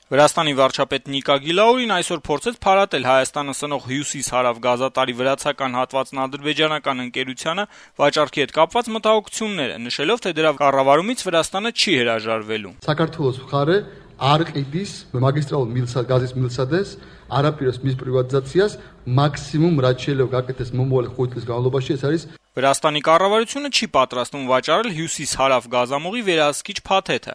Վրաստանի վարչապետ Նիկա Գիլաուրին այսօր փորձեց փարատել Հայաստանը սնող հյուսիս-հարավ գազատարի վրացական հատվածն ադրբեջանական ընկերությանը վաճառքի հետ կապված մտահոգությունները, նշելով, թե դրա կառավարումից Վրաստանը չի հրաժարվելու։ Საქართველოს მხარე არ ყიდის მაგისტრალურ გაზის მილსადეს არაპიროს მის პრივატიზაციას მაქსიმუმ რაც შეიძლება გაკეთდეს მომავალ 5 წლის განმავლობაში ეს არის Վրաստանի կառավարությունը չի պատրաստվում վաճառել հյուսիս-հարավ գազամուղի վերահսկիչ փաթեթը։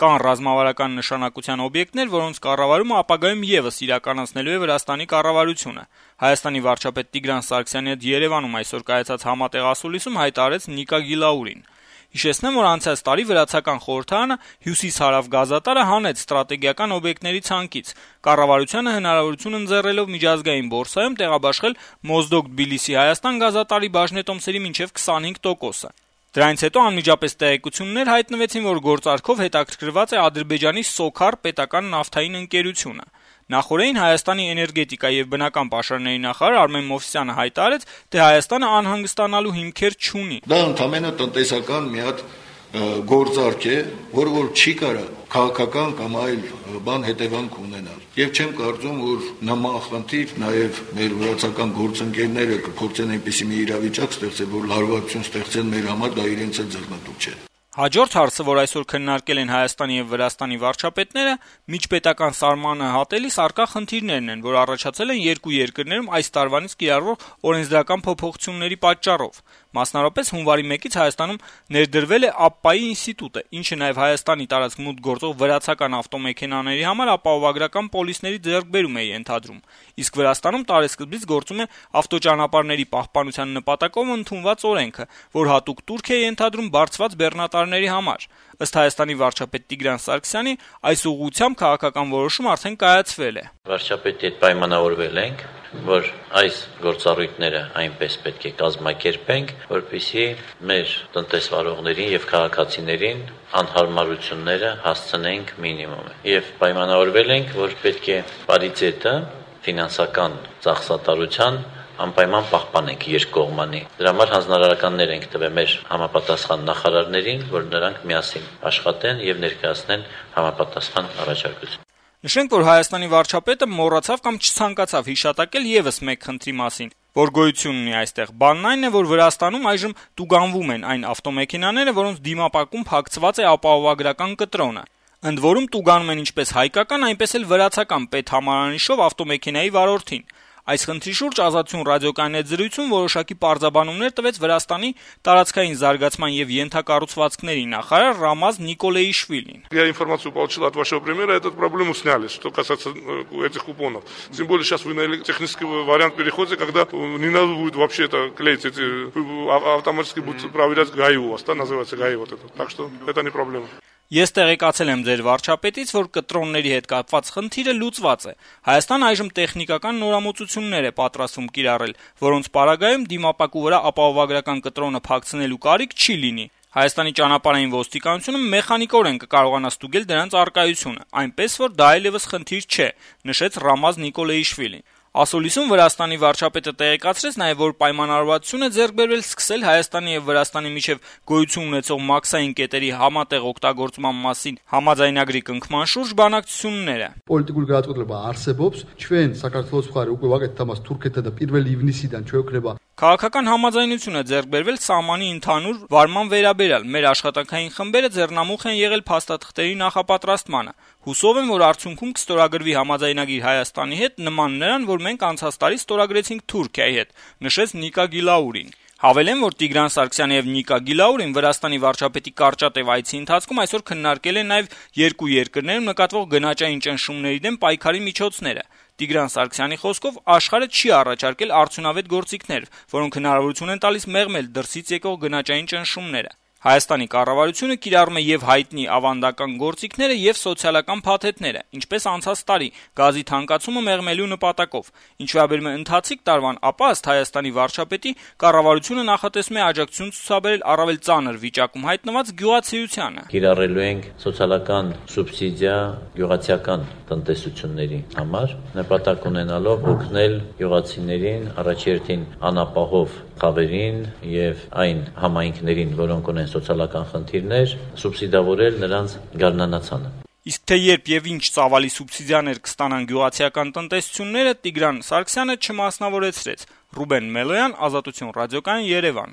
Կան ռազմավարական նշանակության օբյեկտներ, որոնց կառավարումը ապագայում եւս իրականացնելու է Վրաստանի կառավարությունը։ Հայաստանի վարչապետ Տիգրան Սարգսյանի հետ Երևանում այսօր կայացած համատեղ ասուլիսում հայտարարեց Նիկա Գիլաուրին։ Հիշեցնեմ, որ անցած տարի վրացական խորհրդարանը հյուսիս-հարավ գազատարը հանեց ստրատեգիական օբյեկտների ցանկից։ Կառավարությանը հնարավորություն ընձեռելով միջազգային բորսայում տեղաբաշխել Մոզդոկ Թբիլիսի-Հայաստան գազատարի բաժնետոմսերի մինչև 25%-ը։ Դրանից հետո անմիջապես տեղեկություններ հայտնվեցին, որ գործարքով հետաքրքրված է Ադրբեջանի Սոքար պետական նավթային ընկերությունը։ Նախորդին Հայաստանի էներգետիկա եւ բնական պաշարների նախարար Արմեն Մովսիսյանը հայտարարեց, թե Հայաստանը անհանգստանալու հիմքեր չունի։ Դա ընդհանրապես տնտեսական մի հատ գործարք է, որը չի կարող քաղաքական կամ այլ բան հետևանք ունենալ։ Եվ չեմ կարծում, որ նման խնդիր նաև մեր վրացական գործընկերները կփորձեն այնպիսի մի իրավիճակ ստեղծել, որ լարվածություն ստեղծեն մեր համար, դա իրենց էլ ձեռնտու չէ։ Հաջորդ հարցը, որ այսօր քննարկել են Հայաստանի եւ Վրաստանի վարչապետները, միջպետական սահմանը հատելիս առկա խնդիրներն են, որ առաջացել են երկու երկրներում այս տարվանից կիրառվող օրենսդրական փոփոխությունների պատճառով։ Մասնավորապես հունվարի 1-ից Հայաստանում ներդրվել է ԱՊՊԱ-ի ինստիտուտը, ինչը նաև Հայաստանի տարածք մուտք գործող վրացական ավտոմեքենաների համար ապահովագրական պոլիսների ձեռքբերում է ենթադրում։ Իսկ Վրաստանում տարեսկզբից գործում է ավտոճանապարհների պահպանության նպատակով ընդունված օրենքը, որ հատուկ տուրք է ենթադրում բարձված բեռնատարների համար։ Ըստ Հայաստանի վարչապետ Տիգրան Սարգսյանի, այս ուղղությամբ քաղաքական որոշում արդեն կայացվել է։ Վարչապետի հետ պայմանավորվել ենք, որ այս գործառույթները այնպես պետք է կազմակերպենք, որպեսզի մեր տնտեսվարողներին եւ քաղաքացիներին անհարմարությունները հասցնենք մինիմումը։ Եվ պայմանավորվել ենք, որ պետք է պարիտետը ֆինանսական ծախսատարության անպայման պահպանենք երկկողմանի։ Դրա համար հանձնարարականներ ենք տվել մեր համապատասխան նախարարներին, որ նրանք միասին աշխատեն եւ ներկայացնեն համապատասխան առաջարկություն։ Նշենք, որ Հայաստանի վարչապետը մոռացավ կամ չցանկացավ հիշատակել եւս մեկ խնդրի մասին, որ գոյություն ունի այստեղ։ Բանն այն է, որ Վրաստանում այժմ տուգանվում են այն ավտոմեքենաները, որոնց դիմապակում փակցված է ապահովագրական կտրոնը։ Ընդ որում տուգանում են ինչպես հայկական, այնպես էլ վրացական պետհամարանիշով ավտոմեքենայի վարորդին։ Այս խնդրի շուրջ Ազատություն ռադիոկայանի հետ զրույցում որոշակի պարզաբանումներ տվեց Վրաստանի տարածքային զարգացման եւ ենթակառուցվածքների նախարար Ռամազ Նիկոլեիշվիլին։ Я информацию получил от вашего премьера, эту проблему сняли, что касается этих купонов. Тем более сейчас вы на технический вариант переходите, когда не надо будет вообще это клеить, эти автоматически будут проверять ГАИ у вас, да, называется ГАИ вот это. Так что это не проблема. Ես տեղեկացել եմ ձեր վարչապետից, որ կտրոնների հետ կապված խնդիրը լուծված է։ Հայաստանը այժմ տեխնիկական նորամուծություններ է պատրաստվում կիրառել, որոնց պարագայում դիմապակու վրա ապահովագրական կտրոնը փակցնելու կարիք չի լինի։ Հայաստանի ճանապարհային ոստիկանությունը մեխանիկորեն կկարողանա ստուգել դրանց առկայությունը, այնպես որ դա այլևս խնդիր չէ, նշեց Ռամազ Նիկոլեիշվիլին։ Ասուլիսում Վրաստանի վարչապետը տեղեկացրեց նաև, որ պայմանավորվածություն է ձեռք բերվել սկսել Հայաստանի եւ Վրաստանի միջև գոյություն ունեցող մաքսային կետերի համատեղ օգտագործման մասին համաձայնագրի կնքման շուրջ բանակցությունները։ Პოლიტიკური გადაწყვეტილება არსებობს, ჩვენ საქართველოს მხარე უკვე ვაკეთეთ ამას თურქეთთან და 1 ივნისიდან ჩვეუქნება Քաղաքական համաձայնություն է ձեռք բերվել սահմանի ընդհանուր վարման վերաբերյալ։ Մեր աշխատանքային խմբերը ձեռնամուխ են եղել փաստաթղթերի նախապատրաստմանը։ Հուսով եմ, որ արդյունքում կստորագրվի համաձայնագիր Հայաստանի հետ նման նրան, որ մենք անցած տարի ստորագրեցինք Թուրքիայի հետ, նշեց Նիկա Գիլաուրին։ Հավելեմ, որ Տիգրան Սարգսյանը եւ Նիկա Գիլաուրին Վրաստանի վարչապետի կարճատև այցի ընթացքում այսօր քննարկել են նաեւ երկու երկրներում նկատվող գնաճային ճնշումների դեմ պայքարի միջոցները։ Տիգրան Սարգսյանի խոսքով աշխարհը չի առաջարկել արդյունավետ գործիքներ, որոնք հնարավորություն են տալիս մեղմել դրսից եկող գնաճային ճնշումները։ Հայաստանի կառավարությունը կիրառում է եւ հայտնի ավանդական գործիքները եւ սոցիալական փաթեթները, ինչպես անցած տարի գազի թանկացումը մեղմելու նպատակով։ Ինչ վերաբերում է ընթացիկ տարվան, ապա ըստ Հայաստանի վարչապետի կառավարությունը նախատեսում է աջակցություն ցուցաբերել առավել ծանր վիճակում հայտնված գյուղացիությանը։ Կիրառելու ենք սոցիալական սուբսիդիա գյուղացիական տնտեսությունների համար, նպատակ ունենալով օգնել գյուղացիներին, առաջերտին անապահով խավերին եւ այն համայնքներին, որոնք ունեն սոցիալական խնդիրներ, սուբսիդավորել նրանց գարնանացանը։ Իսկ թե երբ եւ ինչ ծավալի սուբսիդիաներ կստանան գյուղացիական տնտեսությունները, Տիգրան Սարգսյանը չմասնավորեցրեց։ Ռուբեն Մելոյան, Ազատություն ռադիոկայան, Երևան։